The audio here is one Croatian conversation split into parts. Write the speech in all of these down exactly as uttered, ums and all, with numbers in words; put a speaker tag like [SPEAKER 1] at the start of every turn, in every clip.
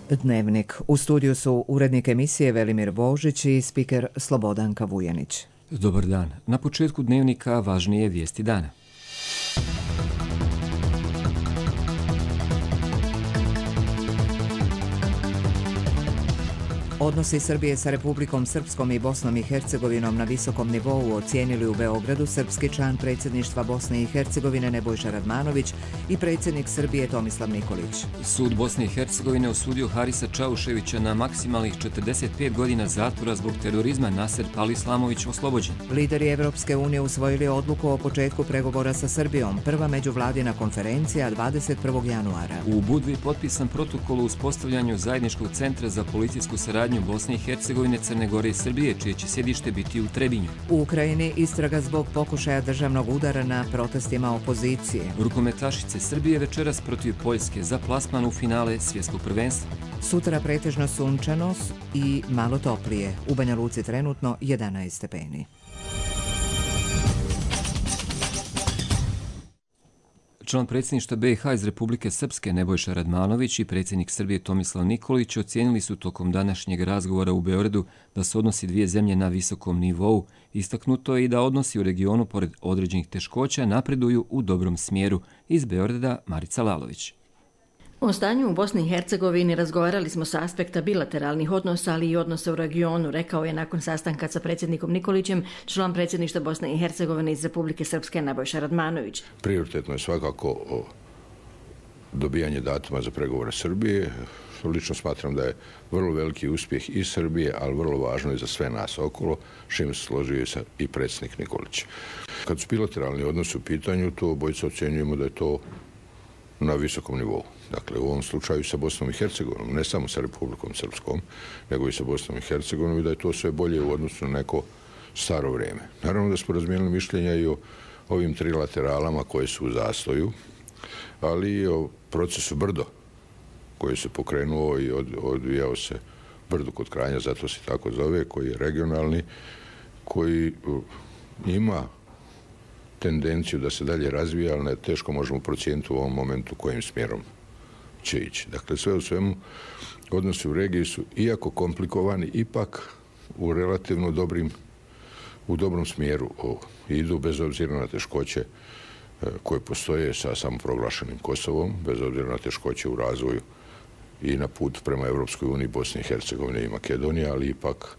[SPEAKER 1] Dnevnik. U studiju su urednik emisije Velimir Božić i spiker Slobodanka Vujanić.
[SPEAKER 2] Dobar dan. Na početku Dnevnika važnije vijesti dana.
[SPEAKER 1] Odnosi Srbije sa Republikom Srpskom i Bosnom i Hercegovinom na visokom nivou ocijenili u Beogradu srpski član predsjedništva Bosne i Hercegovine Nebojša Radmanović i predsjednik Srbije Tomislav Nikolić.
[SPEAKER 2] Sud Bosne i Hercegovine osudio Harisa Čauševića na maksimalnih četrdeset pet godina zatvora zbog terorizma. Naser Palislamović oslobođen.
[SPEAKER 1] Lideri Evropske unije usvojili odluku o početku pregovora sa Srbijom. Prva međuvladina konferencija dvadeset prvog januara.
[SPEAKER 2] U Budvi potpisan protokol o uspostavljanju zajedničkog centra za policijsku saradnju Bosne i Hercegovine, Crne Gore i Srbije, čije će sjedište biti u Trebinju.
[SPEAKER 1] U Ukrajini istraga zbog pokušaja državnog udara na protestima opozicije.
[SPEAKER 2] Rukometašice Srbije večeras protiv Poljske za plasman u finale svjetskog prvenstva.
[SPEAKER 1] Sutra pretežno sunčano i malo toplije. U Banja Luci trenutno jedanaest stepeni.
[SPEAKER 2] Član predsjedništva B i H iz Republike Srpske Nebojša Radmanović i predsjednik Srbije Tomislav Nikolić ocijenili su tokom današnjeg razgovora u Beogradu da su odnosi dvije zemlje na visokom nivou. Istaknuto je i da odnosi u regionu, pored određenih teškoća, napreduju u dobrom smjeru. Iz Beograda Marica Lalović.
[SPEAKER 3] O stanju u Bosni i Hercegovini razgovarali smo sa aspekta bilateralnih odnosa, ali i odnosa u regionu, rekao je nakon sastanka sa predsjednikom Nikolićem član predsjedništva Bosne i Hercegovine iz Republike Srpske Nebojša Radmanović.
[SPEAKER 4] Prioritetno je svakako dobijanje datuma za pregovore Srbije. Lično smatram da je vrlo veliki uspjeh i Srbije, ali vrlo važno i za sve nas okolo, čim se složio i predsjednik Nikolić. Kad su bilateralni odnosi u pitanju, to obojica ocjenjujemo da je to na visokom nivou. Dakle, u ovom slučaju sa Bosnom i Hercegovinom, ne samo sa Republikom Srpskom, nego i sa Bosnom i Hercegovinom, i da je to sve bolje u odnosu na neko staro vrijeme. Naravno da smo razmijenili mišljenja i o ovim trilateralama koje su u zastoju, ali i o procesu Brdo, koji se pokrenuo i od, odvijao se Brdo kod Kranja, zato se tako zove, koji je regionalni, koji ima tendenciju da se dalje razvija, ali ne, teško možemo procijeniti u ovom momentu kojim smjerom će ići. Dakle, sve u svemu, odnosi u regiji su, iako komplikovani, ipak u relativno dobrim, u dobrom smjeru idu, bez obzira na teškoće koje postoje sa samoproglašenim Kosovom, bez obzira na teškoće u razvoju i na put prema Evropskoj uniji, Bosni i Hercegovine i Makedonije, ali ipak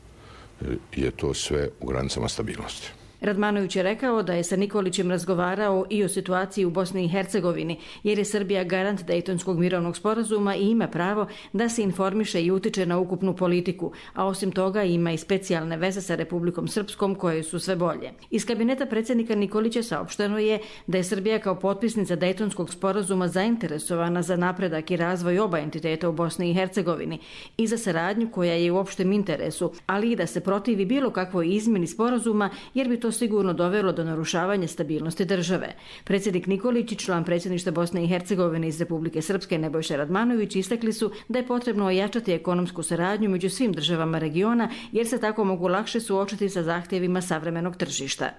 [SPEAKER 4] je to sve u granicama stabilnosti.
[SPEAKER 3] Radmanović je rekao da je sa Nikolićem razgovarao i o situaciji u Bosni i Hercegovini, jer je Srbija garant Dejtonskog mirovnog sporazuma i ima pravo da se informiše i utiče na ukupnu politiku, a osim toga ima i specijalne veze sa Republikom Srpskom koje su sve bolje. Iz kabineta predsjednika Nikolića saopšteno je da je Srbija kao potpisnica Dejtonskog sporazuma zainteresovana za napredak i razvoj oba entiteta u Bosni i Hercegovini i za saradnju koja je u opštem interesu, ali i da se protivi bilo kakvoj izmjeni sporazuma, jer bi to sigurno dovelo do narušavanja stabilnosti države. Predsjednik Nikolić i član predsjedništva Bosne i Hercegovine iz Republike Srpske Nebojša Radmanović istakli su da je potrebno ojačati ekonomsku saradnju među svim državama regiona, jer se tako mogu lakše suočiti sa zahtjevima savremenog tržišta.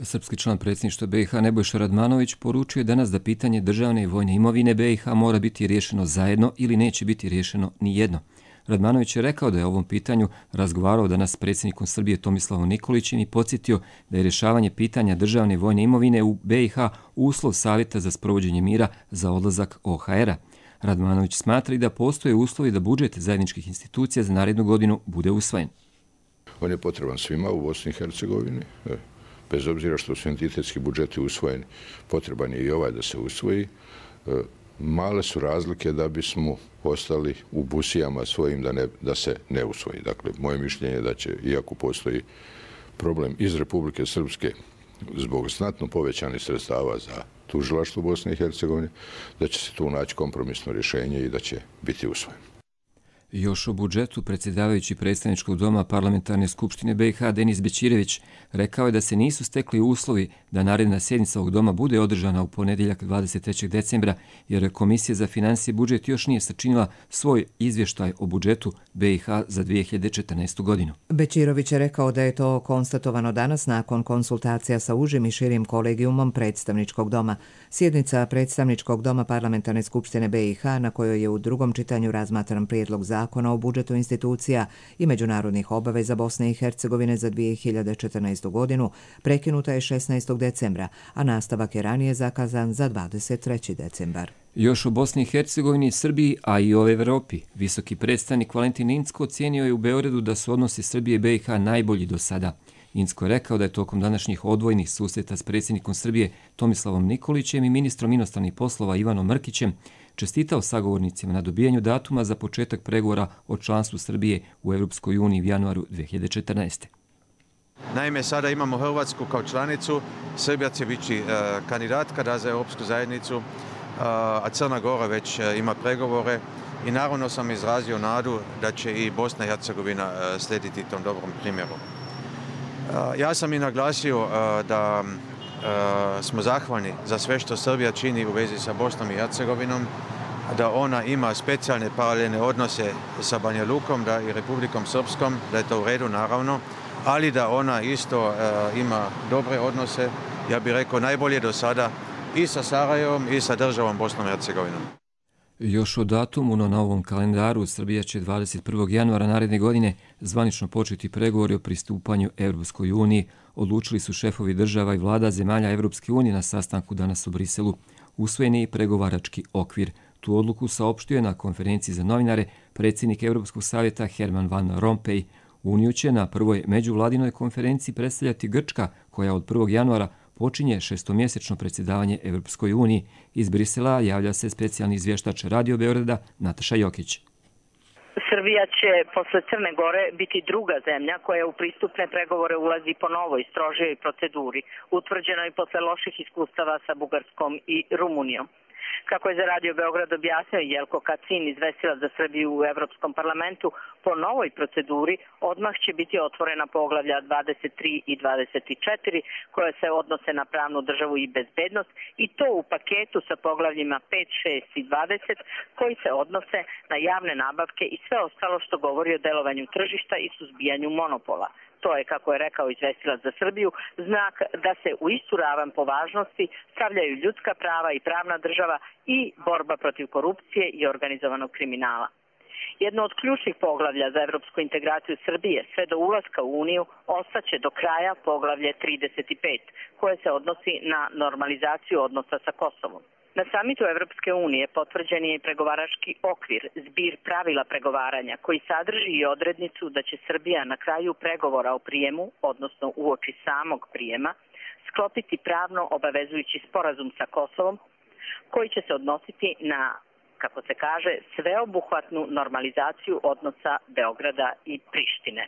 [SPEAKER 2] Srpski član predsjedništva B i H Nebojša Radmanović poručuje danas da pitanje državne i vojne imovine B i H mora biti riješeno zajedno ili neće biti riješeno ni jedno. Radmanović je rekao da je o ovom pitanju razgovarao danas s predsjednikom Srbije Tomislavom Nikolićem i podsjetio da je rješavanje pitanja državne i vojne imovine u B i H uslov savjeta za sprovođenje mira za odlazak O H R-a. Radmanović smatra i da postoje uslovi da budžet zajedničkih institucija za narednu godinu bude usvojen.
[SPEAKER 4] On je potreban svima u Bosni i Hercegovini, bez obzira što su entitetski budžeti usvojeni, potreban je i ovaj da se usvoji. Male su razlike da bismo ostali u busijama svojim da, ne, da se ne usvoji. Dakle, moje mišljenje je da će, iako postoji problem iz Republike Srpske zbog znatno povećanih sredstava za tužilaštvo Bosne i Hercegovine, da će se tu naći kompromisno rješenje i da će biti usvojen.
[SPEAKER 2] Još o budžetu predsjedavajući predstavničkog doma Parlamentarne skupštine B i H Denis Bećirević rekao je da se nisu stekli uslovi da naredna sjednica ovog doma bude održana u ponedjeljak dvadeset trećeg decembra, jer Komisija za financije i budžet još nije sačinila svoj izvještaj o budžetu B i H za dvije hiljade četrnaestu. godinu.
[SPEAKER 1] Bećirović je rekao da je to konstatovano danas nakon konsultacija sa užim i širim kolegijumom predstavničkog doma. Sjednica predstavničkog doma Parlamentarne skupštine B i H, na kojoj je u drugom čitanju razmatran prijedlog zakona o budžetu institucija i međunarodnih obaveza Bosne i Hercegovine za dvije hiljade četrnaestu. godinu, prekinuta je šesnaestog decembra, a nastavak je ranije zakazan za dvadeset treći decembar.
[SPEAKER 2] Još o Bosni i Hercegovini, Srbiji, a i o Evropi. Visoki predstavnik Valentin Incko ocijenio je u Beogradu da su odnosi Srbije i B i H najbolji do sada. Incko je rekao da je tokom današnjih odvojnih susreta s predsjednikom Srbije Tomislavom Nikolićem i ministrom inostranih poslova Ivanom Mrkićem čestitao sagovornicima na dobijanju datuma za početak pregovora o članstvu Srbije u Europskoj uniji u januaru dvije hiljade četrnaeste.
[SPEAKER 5] Naime, sada imamo Hrvatsku kao članicu, Srbija će biti uh, kandidatka za Europsku zajednicu, uh, a Crna Gora već uh, ima pregovore i naravno sam izrazio nadu da će i Bosna i Hercegovina uh, slijediti tom dobrom primjeru. Uh, ja sam i naglasio uh, da uh, smo zahvalni za sve što Srbija čini u vezi sa Bosnom i Hercegovinom, da ona ima specijalne paralelne odnose sa Banja Lukom, da i Republikom Srpskom, da je to u redu naravno, ali da ona isto uh, ima dobre odnose, ja bih rekao najbolje do sada, i sa Sarajevom i sa državom Bosnom i Hercegovinom.
[SPEAKER 2] Još o datumu na novom kalendaru Srbija će dvadeset prvog januara naredne godine zvanično početi pregovori o pristupanju Europskoj uniji, odlučili su šefovi država i vlada zemalja Europske unije na sastanku danas u Briselu. Usvojen je i pregovarački okvir. Tu odluku saopštio je na konferenciji za novinare predsjednik Europskog savjeta Herman Van Rompuy. Uniju će na prvoj međuvladinoj konferenciji predstavljati Grčka, koja od prvog januara počinje šestomjesečno predsjedavanje Europskoj uniji. Iz Brisela javlja se specijalni izvještač Radio Beograda Nataša Jokić.
[SPEAKER 6] Srbija će posle Crne Gore biti druga zemlja koja u pristupne pregovore ulazi po novoj, strožijoj proceduri, utvrđenoj posle loših iskustava sa Bugarskom i Rumunijom. Kako je za Radio Beograd objasnio Jelko Kacin, izvestilac za Srbiju u Evropskom parlamentu, po novoj proceduri odmah će biti otvorena poglavlja dvadeset tri i dvadeset četiri koje se odnose na pravnu državu i bezbednost, i to u paketu sa poglavljima pet, šest i dvadeset koji se odnose na javne nabavke i sve ostalo što govori o delovanju tržišta i suzbijanju monopola. To je, kako je rekao izvestilac za Srbiju, znak da se u istu ravan po važnosti stavljaju ljudska prava i pravna država i borba protiv korupcije i organizovanog kriminala. Jedno od ključnih poglavlja za evropsku integraciju Srbije sve do ulaska u Uniju ostaće do kraja poglavlje trideset pet, koje se odnosi na normalizaciju odnosa sa Kosovom. Na samitu Evropske unije potvrđen je i pregovarački okvir, zbir pravila pregovaranja, koji sadrži i odrednicu da će Srbija na kraju pregovora o prijemu, odnosno uoči samog prijema, sklopiti pravno obavezujući sporazum sa Kosovom, koji će se odnositi na, kako se kaže, sveobuhvatnu normalizaciju odnosa Beograda i Prištine.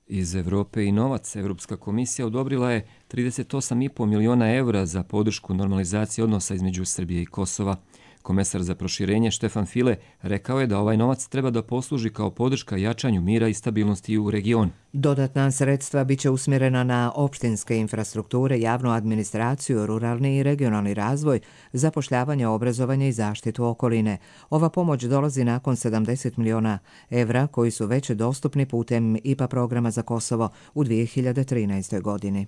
[SPEAKER 2] Iz Evrope i novac Evropska komisija odobrila je trideset osam i po miliona evra za podršku normalizacije odnosa između Srbije i Kosova. Komesar za proširenje Štefan File rekao je da ovaj novac treba da posluži kao podrška jačanju mira i stabilnosti u regionu.
[SPEAKER 1] Dodatna sredstva biće usmjerena na opštinske infrastrukture, javnu administraciju, ruralni i regionalni razvoj, zapošljavanje, obrazovanje i zaštitu okoline. Ova pomoć dolazi nakon sedamdeset miliona evra koji su već dostupni putem I P A programa za Kosovo u dvije hiljade trinaestoj. godini.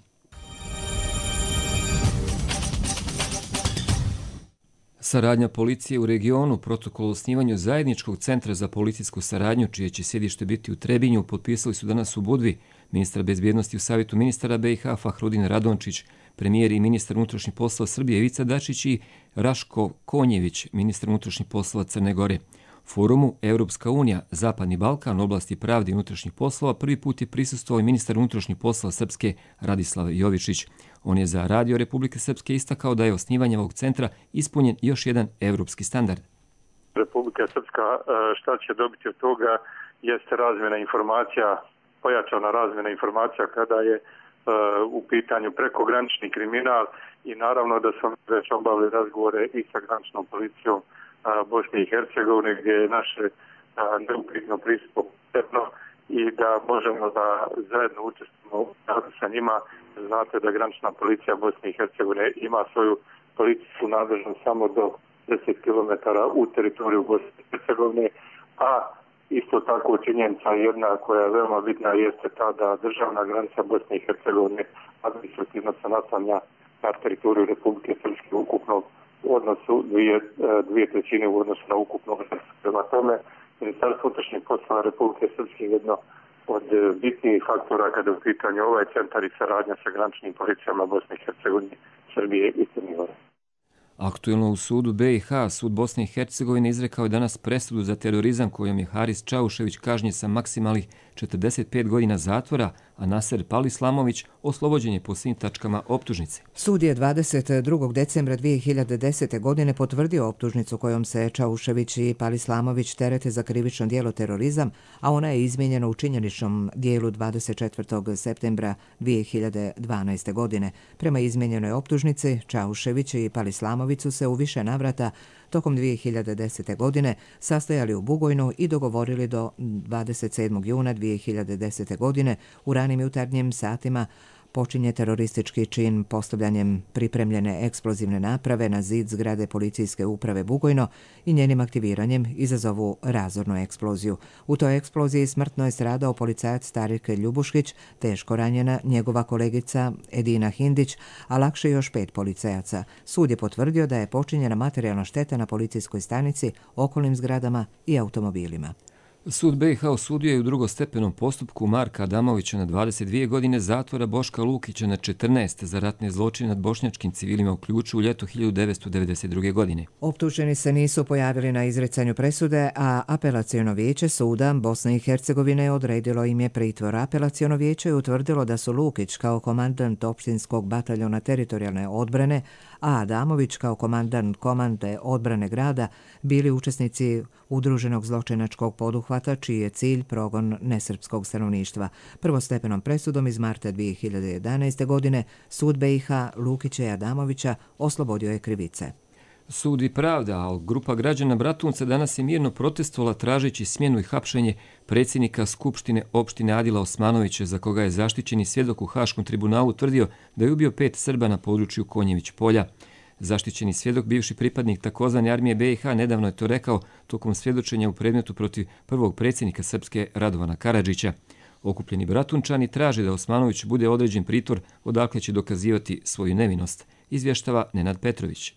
[SPEAKER 2] Saradnja policije u regionu, protokol o osnivanju zajedničkog centra za policijsku saradnju, čije će sjedište biti u Trebinju, potpisali su danas u Budvi ministar bezbjednosti u Savjetu ministara B i H Fahrudin Radončić, premijer i ministar unutrašnjih poslova Srbije Ivica Dačić i Raško Konjević, ministar unutrašnjih poslova Crne Gore. Forumu Europska unija, Zapadni Balkan, oblasti pravde i unutrašnjih poslova prvi put je prisustvovao i ministar unutrašnjih poslova Srpske Radislav Jovičić. On je za Radio Republike Srpske istakao da je osnivanje ovog centra ispunjen još jedan evropski standard.
[SPEAKER 7] Republika Srpska šta će dobiti od toga jeste razmjena informacija, pojačana razmjena informacija kada je u pitanju prekogranični kriminal i naravno da smo već obavili razgovore i sa graničnom policijom Bosne i Hercegovine, gdje je naše neupitno pristupno i da možemo da zajedno učestvujemo sa njima. Znate da granična policija Bosne i Hercegovine ima svoju policijsku nadležnost samo do deset kilometara u teritoriju Bosne i Hercegovine, a isto tako činjenica jedna koja je veoma bitna jeste ta da državna granica Bosne i Hercegovine administrativno se naslanja na teritoriju Republike Srpske ukupno u odnosu dvije, dvije trećine u odnosu na ukupno. Prema tome, Ministarstvo unutrašnjih poslova Republike Srpske je jedno od bitnijih faktora kada je u pitanju ovaj centar i saradnja sa graničnim policijama Bosne i Hercegovine, Srbije i Crne Gore.
[SPEAKER 2] Aktuelno u sudu B i H, sud Bosne i Hercegovine izrekao je danas presudu za terorizam kojom je Haris Čaušević kažnjen sa maksimalnih četrdeset pet godina zatvora, a Naser Palislamović oslobođen je po svim tačkama optužnice.
[SPEAKER 1] Sud je dvadeset drugog decembra dvije hiljade desete. godine potvrdio optužnicu kojom se Čaušević i Palislamović terete za krivično djelo terorizam, a ona je izmijenjena u činjeničnom dijelu dvadeset četvrtog septembra dvije hiljade dvanaeste. godine. Prema izmijenjenoj optužnici, Čaušević i Palislamović su se u više navrata tokom dvije hiljade desete. godine sastajali u Bugojnu i dogovorili do dvadeset sedmog juna dvije hiljade desete. godine u ranim jutarnjim satima počinje teroristički čin postavljanjem pripremljene eksplozivne naprave na zid zgrade policijske uprave Bugojno i njenim aktiviranjem izazovu razornu eksploziju. U toj eksploziji smrtno je stradao policajac Tarik Ljubuškić, teško ranjena njegova kolegica Edina Hindić, a lakše još pet policajaca. Sud je potvrdio da je počinjena materijalna šteta na policijskoj stanici, okolnim zgradama i automobilima.
[SPEAKER 2] Sud B i H osudio je u drugostepenom postupku Marka Adamovića na dvadeset dvije godine zatvora, Boška Lukića na četrnaest za ratne zločine nad bošnjačkim civilima u Ključu u ljetu hiljadu devetsto devedeset druge. godine.
[SPEAKER 1] Optuženi se nisu pojavili na izricanju presude, a apelaciono vijeće suda Bosne i Hercegovine odredilo im je pritvor. Apelaciono vijeće je utvrdilo da su Lukić kao komandant opštinskog bataljona teritorijalne odbrane, a Adamović kao komandant komande odbrane grada bili učesnici udruženog zločinačkog poduhvata čiji je cilj progon nesrpskog stanovništva. Prvostepenom presudom iz marta dvije hiljade jedanaeste. godine sud B i H Lukića i Adamovića oslobodio je krivice.
[SPEAKER 2] Sud i pravda, a grupa građana Bratunca danas je mirno protestovala tražeći smjenu i hapšenje predsjednika Skupštine opštine Adila Osmanovića, za koga je zaštićeni svjedok u Haškom tribunalu tvrdio da je ubio pet Srba na području Konjević polja. Zaštićeni svjedok, bivši pripadnik takozvane armije B i H, nedavno je to rekao tokom svjedočenja u predmetu protiv prvog predsjednika Srpske Radovana Karadžića. Okupljeni Bratunčani traže da Osmanović bude određen pritvor odakle će dokazivati svoju nevinost, izvještava Nenad Petrović.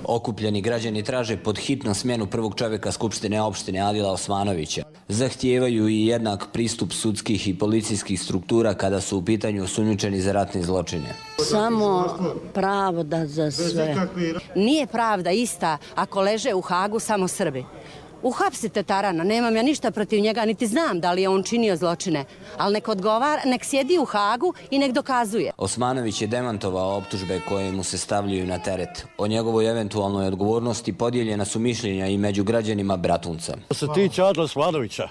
[SPEAKER 8] Okupljeni građani traže pod hitno smjenu prvog čovjeka Skupštine opštine Adila Osmanovića. Zahtijevaju i jednak pristup sudskih i policijskih struktura kada su u pitanju osumnjičeni za ratne zločine.
[SPEAKER 9] Samo pravda za sve. Nije pravda ista ako leže u Hagu samo Srbi. Uhapsite Tarana, nemam ja ništa protiv njega, niti znam da li je on činio zločine, ali nek odgovara, nek sjedi u Hagu i nek dokazuje.
[SPEAKER 8] Osmanović je demantovao optužbe koje mu se stavljaju na teret. O njegovoj eventualnoj odgovornosti podijeljena su mišljenja i među građanima Bratunca.
[SPEAKER 10] Što se tiče Adila Osmanovića,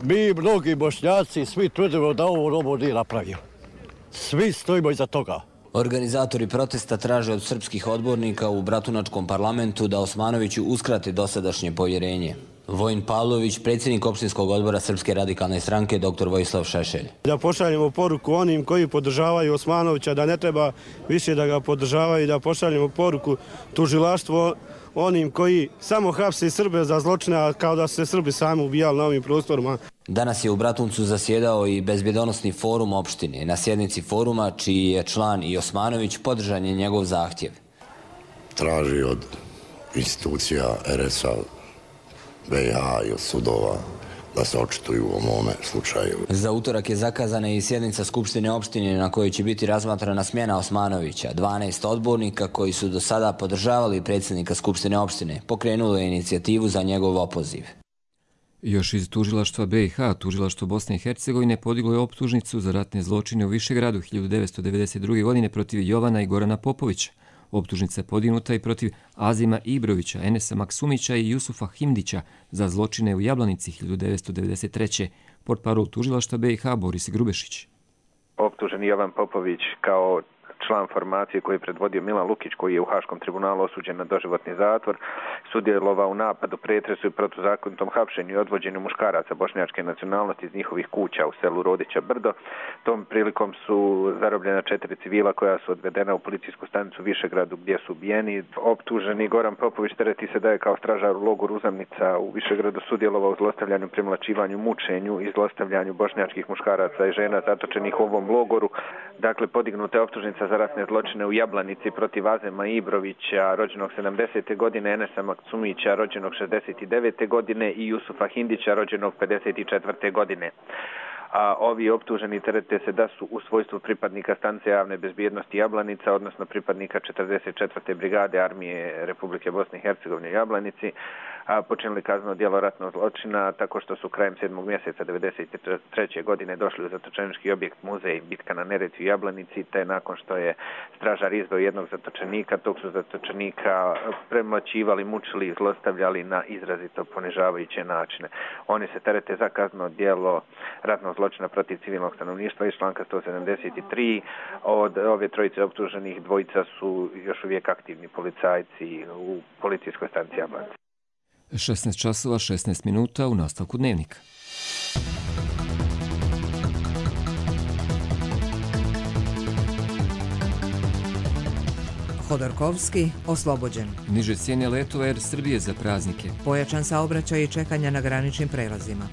[SPEAKER 10] mi mnogi Bošnjaci svi tvrdimo da ovo robo nije napravio. Svi stojimo iza toga.
[SPEAKER 8] Organizatori protesta traže od srpskih odbornika u Bratunačkom parlamentu da Osmanoviću uskrate dosadašnje povjerenje. Vojin Pavlović, predsjednik opštinskog odbora Srpske radikalne stranke, doktor Vojislav Šešelj.
[SPEAKER 11] Da pošaljemo poruku onim koji podržavaju Osmanovića, da ne treba više da ga podržavaju, da pošaljemo poruku tužilaštvo onim koji samo hapse Srbe za zločine, kao da su se Srbi sami ubijali na ovim prostorima.
[SPEAKER 8] Danas je u Bratuncu zasjedao i bezbjedonosni forum opštine. Na sjednici foruma, čiji je član i Osmanović, podržan je njegov zahtjev.
[SPEAKER 12] Traži od institucija R S A, B i H i od sudova da se očituju u ovome slučaju.
[SPEAKER 8] Za utorak je zakazana i sjednica Skupštine opštine na kojoj će biti razmatrana smjena Osmanovića. dvanaest odbornika koji su do sada podržavali predsjednika Skupštine opštine pokrenulo je inicijativu za njegov opoziv.
[SPEAKER 2] Još iz tužilaštva B i H, tužilaštvo Bosne i Hercegovine podiglo je optužnicu za ratne zločine u Višegradu hiljadu devetsto devedeset druge. godine protiv Jovana i Gorana Popovića. Optužnica je podignuta i protiv Azima Ibrovića, Enesa Maksumića i Jusufa Himdića za zločine u Jablanici hiljadu devetsto devedeset treće. Portparol tužilaštva B i H Boris Grubešić.
[SPEAKER 13] Optuženi Jovan Popović kao član formacije koji je predvodio Milan Lukić, koji je u Haškom tribunalu osuđen na doživotni zatvor, sudjelovao u napadu, pretresu i protuzakonitom hapšenju i odvođenju muškaraca bošnjačke nacionalnosti iz njihovih kuća u selu Rodića Brdo. Tom prilikom su zarobljena četiri civila koja su odvedena u policijsku stanicu Višegradu gdje su ubijeni. Optuženi Goran Popović tereti se da je kao stražar u logoru Uzamnica u Višegradu sudjelovao u zlostavljanju, premlačivanju, mučenju i zlostavljanju bošnjačkih muškaraca i žena zatočenih u ovom logoru. Dakle, podignuta je optužnica za ratne zločine u Jablanici protiv Azema Ibrovića, rođenog sedamdesete godine, Enesa Maksumića, rođenog šezdeset devete godine i Jusufa Hindića, rođenog pedeset četvrte godine. A ovi optuženi terete se da su u svojstvu pripadnika stanice javne bezbjednosti Jablanica, odnosno pripadnika četrdeset četvrte brigade armije Republike Bosne i Hercegovine u Jablanici, a počinili kazneno djelo ratnog zločina tako što su krajem sedmog mjeseca devedeset treće godine došli u zatočenički objekt muzej Bitka na Neretvi u Jablanici, te nakon što je stražar izveo jednog zatočenika, tog su zatočenika premlaćivali, mučili i zlostavljali na izrazito ponižavajuće načine. Oni se terete za kazneno djelo ratnog zločina protiv civilnog stanovništva iz članka sto sedamdeset tri. Od ove trojice optuženih dvojica su još uvijek aktivni policajci u policijskoj stanici Jablanica.
[SPEAKER 2] šesnaest časova šesnaest minuta u nastavku dnevnika.
[SPEAKER 1] Hodorkovski oslobođen.
[SPEAKER 2] Niže cijene letova Air Srbije za praznike.
[SPEAKER 1] Pojačan saobraćaj i čekanja na graničnim prelazima.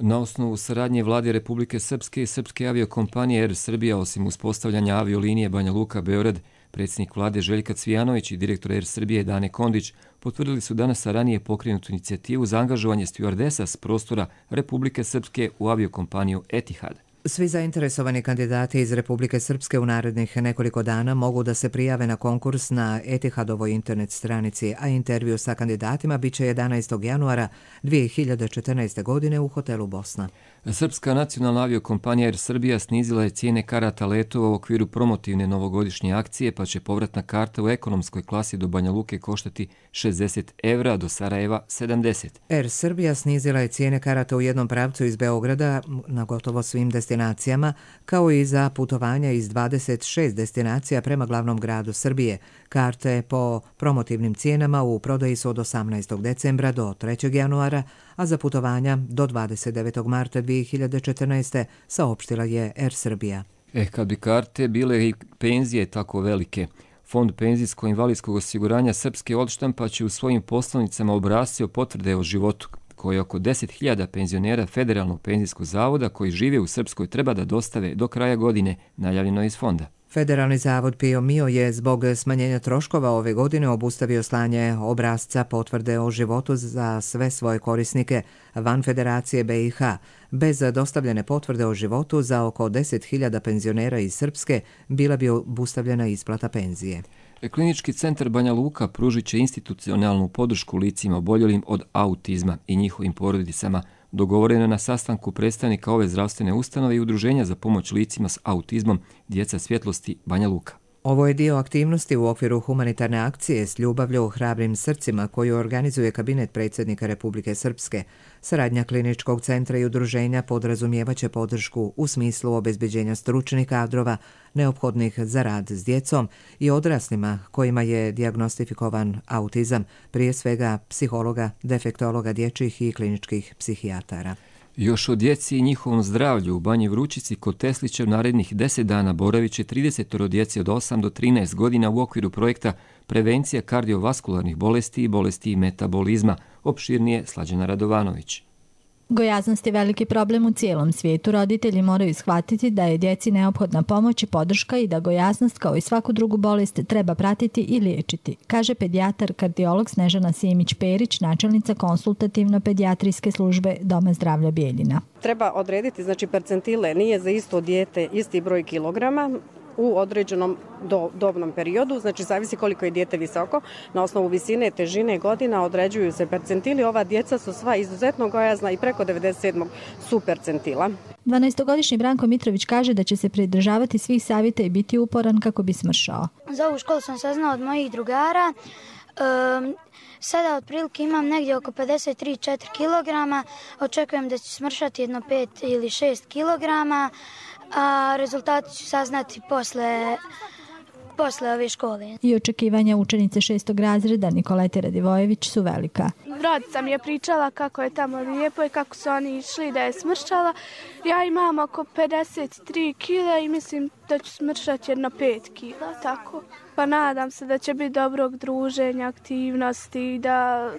[SPEAKER 2] Na osnovu saradnje Vlade Republike Srpske i Srpske aviokompanije Air Srbija, osim uspostavljanja aviolinije Banja Luka-Beograd, predsjednik Vlade Željka Cvijanović i direktor Air Srbije Dane Kondić potvrdili su danas ranije pokrenutu inicijativu za angažovanje stjuardesa s prostora Republike Srpske u aviokompaniju Etihad.
[SPEAKER 1] Svi zainteresovani kandidati iz Republike Srpske u narednih nekoliko dana mogu da se prijave na konkurs na Etihadovoj internet stranici, a intervju sa kandidatima biće jedanaestog januara dvije hiljade četrnaeste. godine u hotelu Bosna.
[SPEAKER 2] Srpska nacionalna aviokompanija Air Srbija snizila je cijene karata letova u okviru promotivne novogodišnje akcije, pa će povratna karta u ekonomskoj klasi do Banja Luke koštati šezdeset evra, do Sarajeva sedamdeset.
[SPEAKER 1] Air Srbija snizila je cijene karata u jednom pravcu iz Beograda na gotovo svim destinacijama, kao i za putovanja iz dvadeset šest destinacija prema glavnom gradu Srbije. Karte po promotivnim cijenama u prodaji su od osamnaestog decembra do trećeg januara, a za putovanja do dvadeset devetog marta dvije hiljade četrnaeste. saopštila je Air Srbija.
[SPEAKER 2] Eh, kad bi karte bile i penzije tako velike, Fond penzijsko-invalidskog osiguranja Srpske odštampa će u svojim poslovnicama obrasci o potvrde o životu, koje oko deset hiljada penzionera Federalnog penzijskog zavoda koji žive u Srpskoj treba da dostave do kraja godine, najavljeno iz fonda.
[SPEAKER 1] Federalni zavod Pio Mio je zbog smanjenja troškova ove godine obustavio slanje obrasca potvrde o životu za sve svoje korisnike van Federacije B i H. Bez dostavljene potvrde o životu za oko deset hiljada penzionera iz Srpske bila bi obustavljena isplata penzije.
[SPEAKER 2] Klinički centar Banja Luka pružit će institucionalnu podršku licima oboljelim od autizma i njihovim porodicama, dogovoreno na sastanku predstavnika ove zdravstvene ustanove i udruženja za pomoć licima s autizmom Djeca svjetlosti Banja Luka.
[SPEAKER 1] Ovo je dio aktivnosti u okviru humanitarne akcije s ljubavlju u hrabrim srcima koju organizuje kabinet predsjednika Republike Srpske. Saradnja kliničkog centra i udruženja podrazumijevaće podršku u smislu obezbeđenja stručnih kadrova neophodnih za rad s djecom i odraslima kojima je dijagnostifikovan autizam, prije svega psihologa, defektologa dječjih i kliničkih psihijatara.
[SPEAKER 2] Još o djeci i njihovom zdravlju u Banji Vručici kod Teslića u narednih deset dana boravit će trideset djeci od osam do trinaest godina u okviru projekta Prevencija kardiovaskularnih bolesti i bolesti metabolizma. Opširnije Slađana Radovanović.
[SPEAKER 14] Gojaznost je veliki problem u cijelom svijetu. Roditelji moraju shvatiti da je djeci neophodna pomoć i podrška i da gojaznost kao i svaku drugu bolest treba pratiti i liječiti, kaže pedijatar kardiolog Snežana Simić-Perić, načelnica konsultativno-pedijatrijske službe Doma zdravlja Bijeljina.
[SPEAKER 15] Treba odrediti znači percentile, nije za isto dijete isti broj kilograma u određenom do, dobnom periodu, znači zavisi koliko je dijete visoko. Na osnovu visine, težine, godina određuju se percentili. Ova djeca su sva izuzetno gojazna i preko devedeset sedam su percentila.
[SPEAKER 14] dvanaestogodišnji Branko Mitrović kaže da će se pridržavati svih savjeta i biti uporan kako bi smršao.
[SPEAKER 16] Za ovu školu sam saznao od mojih drugara. Um, sada otprilike imam negdje oko pedeset tri do pedeset četiri kilograma, očekujem da ću smršati jedno pet ili šest kilograma, a rezultati ću saznati posle, posle ove škole.
[SPEAKER 14] I očekivanja učenice šestog razreda Nikolete Radivojević su velika.
[SPEAKER 17] Rodica mi je pričala kako je tamo lijepo i kako su oni išli da je smršala. Ja imam oko pedeset tri kila i mislim da ću smršati jedno pet kila, tako. Pa nadam se da će biti dobrog druženja, aktivnosti, da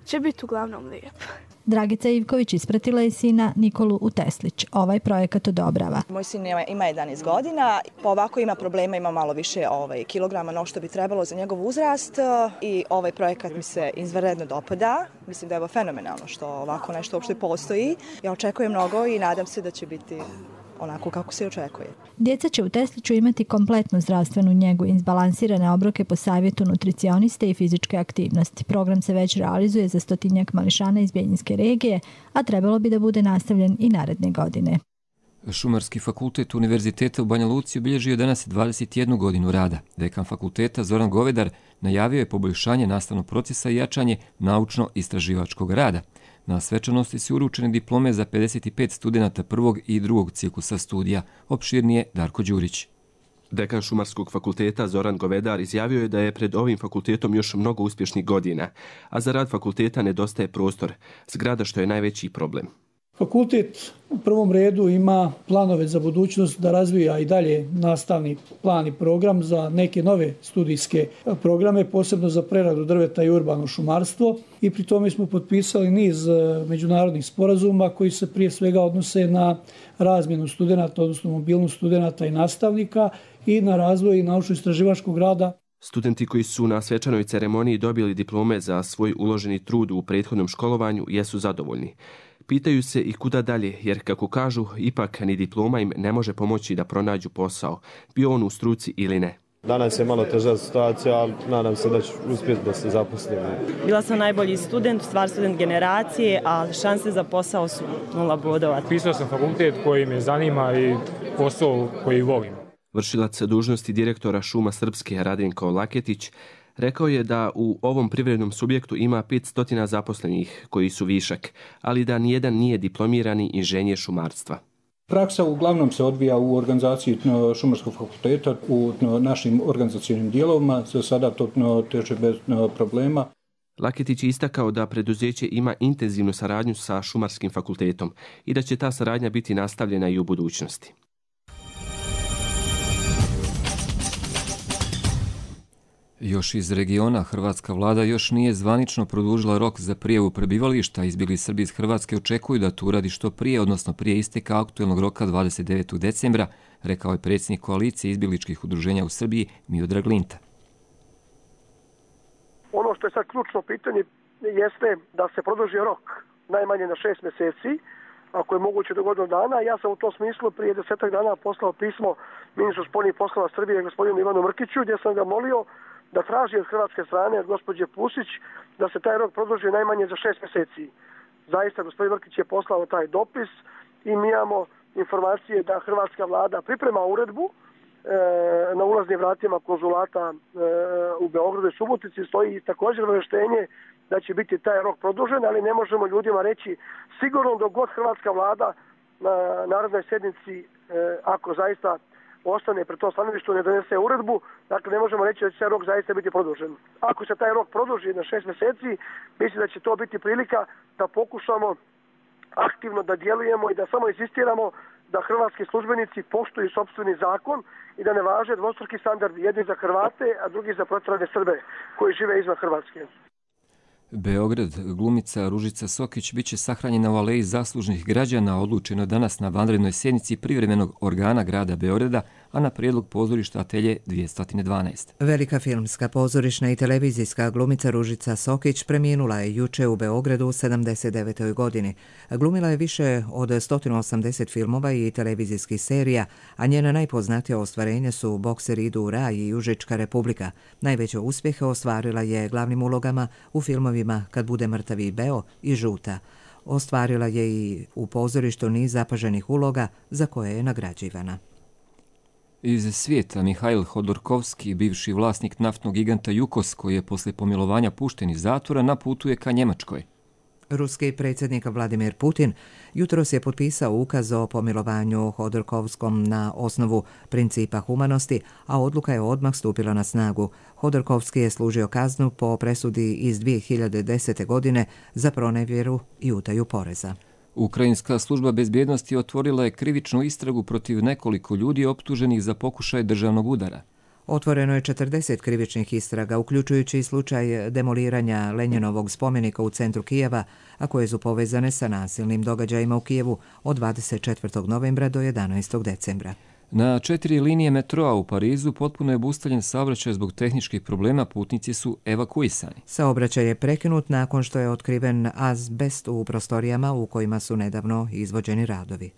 [SPEAKER 17] će biti uglavnom lijepo.
[SPEAKER 14] Dragica Ivković ispratila je sina Nikolu u Teslić. Ovaj projekat odobrava.
[SPEAKER 18] Moj sin ima jedanaest godina, pa ovako ima problema, ima malo više ovaj, kilograma no što bi trebalo za njegov uzrast i ovaj projekat mi se izvanredno dopada. Mislim da je ovo fenomenalno što ovako nešto uopšte postoji. Ja očekujem mnogo i nadam se da će biti onako kako se očekuje.
[SPEAKER 14] Djeca će u Tesliću imati kompletnu zdravstvenu njegu, izbalansirane obroke po savjetu nutricioniste i fizičke aktivnosti. Program se već realizuje za stotinjak mališana iz Bijeljinske regije, a trebalo bi da bude nastavljen i naredne godine.
[SPEAKER 2] Šumarski fakultet Univerziteta u Banja Luci obilježio danas dvadeset jednu godinu rada. Dekan fakulteta Zoran Govedar najavio je poboljšanje nastavnog procesa i jačanje naučno-istraživačkog rada. Na svečanosti su uručene diplome za pedeset pet studenata prvog i drugog ciklusa studija. Opširnije Darko Đurić.
[SPEAKER 19] Dekan Šumarskog fakulteta Zoran Govedar izjavio je da je pred ovim fakultetom još mnogo uspješnih godina, a za rad fakulteta nedostaje prostor, zgrada što je najveći problem.
[SPEAKER 20] Fakultet u prvom redu ima planove za budućnost da razvija i dalje nastavni plan i program za neke nove studijske programe, posebno za preradu drveta i urbano šumarstvo i pri tome smo potpisali niz međunarodnih sporazuma koji se prije svega odnose na razmjenu studenata, odnosno mobilnost studenata i nastavnika i na razvoj naučno-istraživačkog rada.
[SPEAKER 19] Studenti koji su na svečanoj ceremoniji dobili diplome za svoj uloženi trud u prethodnom školovanju jesu zadovoljni. Pitaju se i kuda dalje, jer kako kažu, ipak ni diploma im ne može pomoći da pronađu posao, bio on u struci ili ne.
[SPEAKER 21] Danas je malo teža situacija, ali nadam se da ću uspjeti da se zaposlim.
[SPEAKER 22] Bila sam najbolji student, stvar student generacije, ali šanse za posao su nula bodova.
[SPEAKER 23] Pisao sam fakultet koji me zanima i posao koji volim.
[SPEAKER 19] Vršilac dužnosti direktora Šuma Srpske Radenko Laketić rekao je da u ovom privrednom subjektu ima petsto zaposlenih koji su višak, ali da nijedan nije diplomirani inženjer šumarstva.
[SPEAKER 24] Praksa uglavnom se odvija u organizaciji Šumarskog fakulteta, u našim organizacijnim dijelovima, za sada to teže bez problema.
[SPEAKER 19] Laketić je istakao da preduzeće ima intenzivnu saradnju sa Šumarskim fakultetom i da će ta saradnja biti nastavljena i u budućnosti.
[SPEAKER 2] Još iz regiona, hrvatska vlada još nije zvanično produžila rok za prijavu prebivališta. Izbjegli Srbi iz Hrvatske očekuju da to uradi što prije, odnosno prije isteka aktuelnog roka dvadeset devetog decembra, rekao je predsjednik koalicije izbjegličkih udruženja u Srbiji Miodrag Linta.
[SPEAKER 25] Ono što je sad ključno pitanje jeste da se produži rok najmanje na šest mjeseci, ako je moguće do godinu dana. Ja sam u tom smislu prije desetak dana poslao pismo ministru spoljnih poslova Srbije, gospodinu Ivanu Mrkiću, gdje sam ga molio da traži od hrvatske strane, od gospođe Pusić, da se taj rok produži najmanje za šest mjeseci. Zaista, gospodin Mrkić je poslao taj dopis i mi imamo informacije da hrvatska vlada priprema uredbu e, na ulaznim vratima konzulata e, u Beogradu i Subotici. Stoji također obavještenje da će biti taj rok produžen, ali ne možemo ljudima reći sigurno dok god hrvatska vlada na narodnoj sjednici, e, ako zaista ostane pred tom stanovištu, ne donese uredbu, dakle ne možemo reći da će taj rok zaista biti produžen. Ako se taj rok produži na šest mjeseci, mislim da će to biti prilika da pokušamo aktivno da djelujemo i da samo insistiramo da hrvatski službenici poštuju sopstveni zakon i da ne važe dvostruki standardi, jedni za Hrvate, a drugi za protjerane Srbe koji žive izvan Hrvatske.
[SPEAKER 2] Beograd, glumica Ružica Sokić bit će sahranjena u aleji zaslužnih građana, odlučeno danas na vanrednoj sjednici privremenog organa grada Beograda, a na prijedlog pozorišta Atelje dvjesto dvanaest.
[SPEAKER 1] Velika filmska, pozorišna i televizijska glumica Ružica Sokić preminula je juče u Beogradu u sedamdeset devetoj godini. Glumila je više od sto osamdeset filmova i televizijskih serija, a njena najpoznatija ostvarenja su Bokser idu u raj i Užička republika. Najveće uspjehe ostvarila je glavnim ulogama u filmovima Kad bude mrtav i Beo i Žuta. Ostvarila je i u pozorištu niz zapaženih uloga za koje je nagrađivana.
[SPEAKER 2] Iz svijeta Mihail Hodorkovski, bivši vlasnik naftnog giganta Jukos, koji je posle pomilovanja pušten iz zatvora, na putu je ka Njemačkoj.
[SPEAKER 1] Ruski predsjednik Vladimir Putin jutros je potpisao ukaz o pomilovanju Hodorkovskom na osnovu principa humanosti, a odluka je odmah stupila na snagu. Hodorkovski je služio kaznu po presudi iz dvije hiljade desete. godine za pronevjeru i utaju poreza.
[SPEAKER 2] Ukrajinska služba bezbjednosti otvorila je krivičnu istragu protiv nekoliko ljudi optuženih za pokušaj državnog udara.
[SPEAKER 1] Otvoreno je četrdeset krivičnih istraga, uključujući slučaj demoliranja Lenjinovog spomenika u centru Kijeva, a koje su povezane sa nasilnim događajima u Kijevu od dvadeset četvrtog novembra do jedanaestog decembra.
[SPEAKER 2] Na četiri linije metroa u Parizu potpuno je obustavljen saobraćaj zbog tehničkih problema, putnici su evakuisani.
[SPEAKER 1] Saobraćaj je prekinut nakon što je otkriven azbest u prostorijama u kojima su nedavno izvođeni radovi.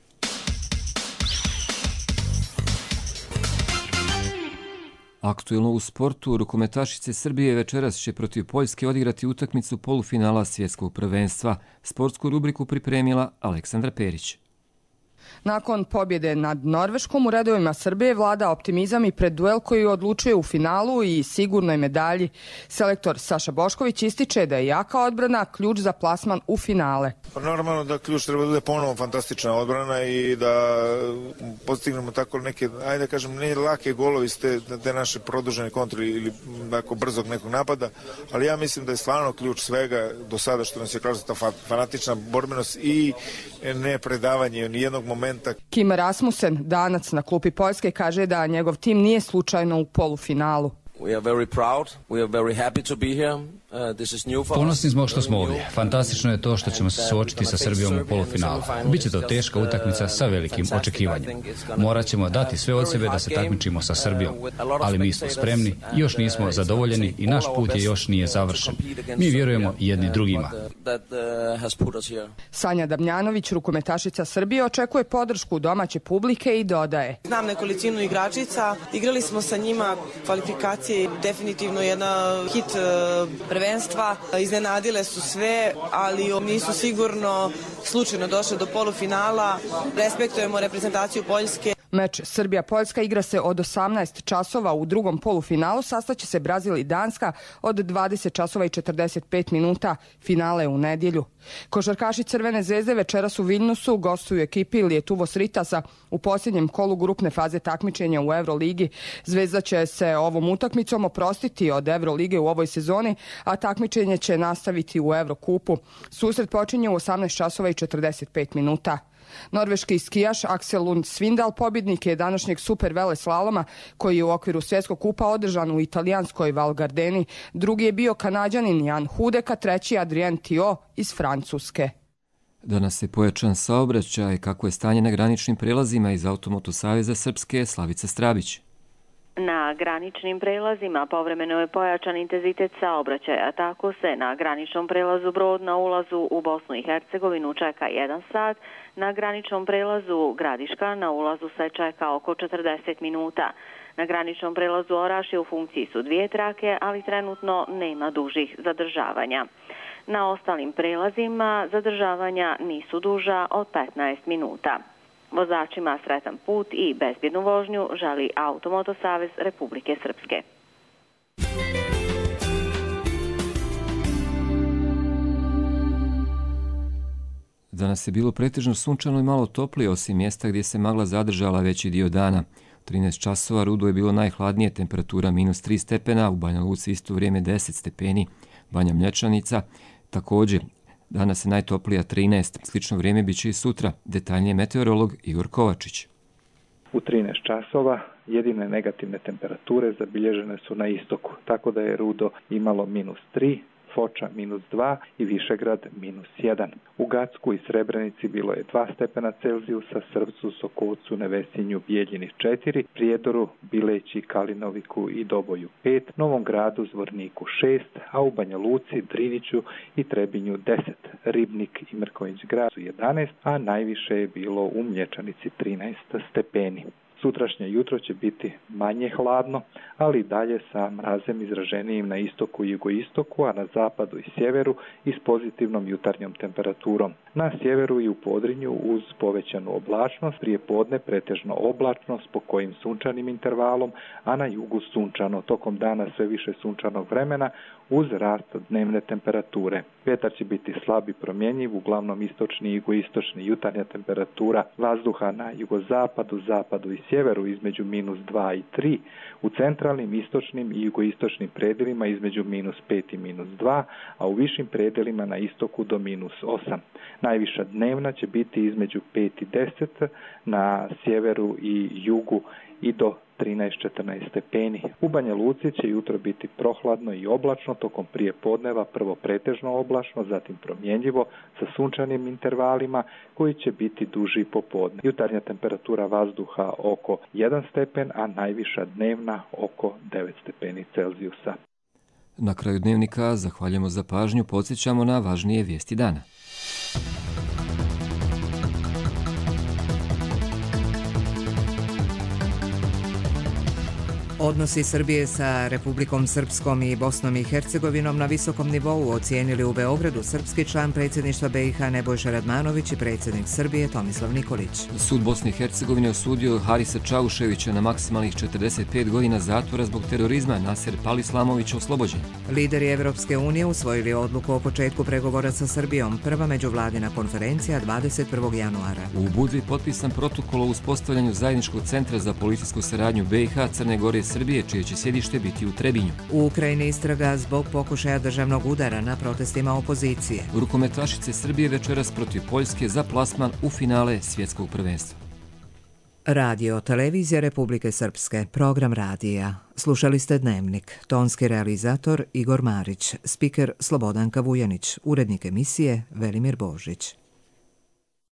[SPEAKER 2] Aktuelno u sportu, rukometašice Srbije večeras će protiv Poljske odigrati utakmicu polufinala svjetskog prvenstva. Sportsku rubriku pripremila Aleksandra Perić.
[SPEAKER 3] Nakon pobjede nad Norveškom u redovima Srbije vlada optimizam i pred duel koji odlučuje u finalu i sigurnoj medalji. Selektor Saša Bošković ističe da je jaka odbrana ključ za plasman u finale.
[SPEAKER 4] Normalno da ključ treba da bude ponovo fantastična odbrana i da postignemo tako neke, ajde da kažem, ne lake golovi s te, te naše produžene kontre ili tako brzog nekog napada, ali ja mislim da je stvarno ključ svega do sada što nas je kroz ta fanatična borbenost i ne predavanje ni jednog momenta.
[SPEAKER 3] Kim Rasmussen, danac na klupi Poljske, kaže da njegov tim nije slučajno u polufinalu.
[SPEAKER 5] Ponosni smo što smo ovdje. Fantastično je to što ćemo se suočiti sa Srbijom u polufinalu. Biće to teška utakmica sa velikim očekivanjem. Morat ćemo dati sve od sebe da se takmičimo sa Srbijom, ali mi smo spremni, još nismo zadovoljeni i naš put je još nije završen. Mi vjerujemo jedni drugima.
[SPEAKER 3] Sanja Damjanović, rukometašica Srbije, očekuje podršku domaće publike i dodaje.
[SPEAKER 6] Znam nekolicinu igračica, igrali smo sa njima kvalifikacije, definitivno jedna hit prvenstva, iznenadile su sve, ali nisu sigurno slučajno došle do polufinala. Respektujemo reprezentaciju Poljske.
[SPEAKER 3] Meč Srbija-Poljska igra se od osamnaest časova, u drugom polufinalu sastaće se Brazil i Danska od dvadeset časova i četrdeset pet minuta, finale u nedjelju. Košarkaši Crvene zvezde večeras u Viljnusu gostuju ekipi Lietuvos Ritasa u posljednjem kolu grupne faze takmičenja u Euroligi. Zvezda će se ovom utakmicom oprostiti od Eurolige u ovoj sezoni, a takmičenje će nastaviti u Eurokupu. Susret počinje u osamnaest časova i četrdeset pet minuta. Norveški skijaš Aksel Lund Svindal pobjednik je današnjeg super veleslaloma koji je u okviru svjetskog kupa održan u italijanskoj Val Gardeni. Drugi je bio Kanađanin Jan Hudeka, treći Adrien Tio iz Francuske.
[SPEAKER 2] Danas je pojačan saobraćaj. Kako je stanje na graničnim prelazima iz Automoto Saveza Srpske, Slavica Strabić.
[SPEAKER 7] Na graničnim prelazima povremeno je pojačan intenzitet saobraćaja, tako se na graničnom prelazu Brod na ulazu u Bosnu i Hercegovinu čeka jedan sat, na graničnom prelazu Gradiška na ulazu se čeka oko četrdeset minuta. Na graničnom prelazu Orašje u funkciji su dvije trake, ali trenutno nema dužih zadržavanja. Na ostalim prelazima zadržavanja nisu duža od petnaest minuta. Vozačima sretan put i bezbjednu vožnju želi Automoto Savez Republike Srpske.
[SPEAKER 2] Danas je bilo pretežno sunčano i malo toplije, osim mjesta gdje se magla zadržala veći dio dana. U trinaest časova Rudo je bilo najhladnije, temperatura minus tri stepena, u Banja Luci isto vrijeme deset stepeni, Banja Mlječanica također. Danas je najtoplija trinaest, slično vrijeme bit će i sutra. Detaljnije meteorolog Igor Kovačić.
[SPEAKER 26] U trinaest časova jedine negativne temperature zabilježene su na istoku, tako da je Rudo imalo minus tri, Foča minus dva i Višegrad minus jedan. U Gacku i Srebrenici bilo je dva stepena Celzijusa, Srpcu, Sokolcu, Nevesinju, Bijeljini četiri, Prijedoru, Bileći, Kalinoviku i Doboju pet, Novom Gradu, Zvorniku šest, a u Banja Luci, Driniću i Trebinju deset, Ribnik i Mrkonjić Grad su jedanaest, a najviše je bilo u Mlječanici trinaest stepeni. Sutrašnje jutro će biti manje hladno, ali i dalje sa mrazem izraženijim na istoku i jugoistoku, a na zapadu i sjeveru i s pozitivnom jutarnjom temperaturom. Na sjeveru i u Podrinju uz povećanu oblačnost, prije podne pretežno oblačno s pokojim sunčanim intervalom, a na jugu sunčano. Tokom dana sve više sunčanog vremena uz rast dnevne temperature. Vjetar će biti slab i promjenjiv, uglavnom istočni i jugoistočni. Jutarnja temperatura vazduha na jugozapadu, zapadu i sjeveru između minus dva i tri, u centralnim, istočnim i jugoistočnim predjelima između minus pet i minus dva, a u višim predjelima na istoku do minus osam. Najviša dnevna će biti između pet i deset, na sjeveru i jugu i do trinaest do četrnaest stepeni. U Banja Luci će jutro biti prohladno i oblačno, tokom prije podneva prvo pretežno oblačno, zatim promjenjivo sa sunčanim intervalima koji će biti duži popodne. Jutarnja temperatura vazduha oko jedan stepen, a najviša dnevna oko devet stepeni Celzijusa.
[SPEAKER 2] Na kraju dnevnika zahvaljujemo za pažnju, podsjećamo na važnije vijesti dana.
[SPEAKER 1] Odnosi Srbije sa Republikom Srpskom i Bosnom i Hercegovinom na visokom nivou ocijenili u Beogradu srpski član predsjedništva B i H Nebojša Radmanović i predsjednik Srbije Tomislav Nikolić.
[SPEAKER 2] Sud Bosne i Hercegovine osudio Harisa Čauševića na maksimalnih četrdeset pet godina zatvora zbog terorizma. Naser Palislamović oslobođen.
[SPEAKER 1] Lideri Evropske unije usvojili odluku o početku pregovora sa Srbijom, prva međuvladina konferencija dvadeset prvog januara.
[SPEAKER 2] U Budvi potpisan protokol o uspostavljanju zajedničkog centra za policijsku saradnju B i H, Crne Gore i Srbije, čije će sjedište biti u Trebinju.
[SPEAKER 1] U Ukrajini istraga zbog pokušaja državnog udara na protestima opozicije.
[SPEAKER 2] Rukometašice Srbije večeras protiv Poljske za plasman u finale svjetskog prvenstva.
[SPEAKER 1] Radio Televizija Republike Srpske, program radija. Slušali ste Dnevnik, tonski realizator Igor Marić, spiker Slobodanka Vujanić, urednik emisije Velimir Božić.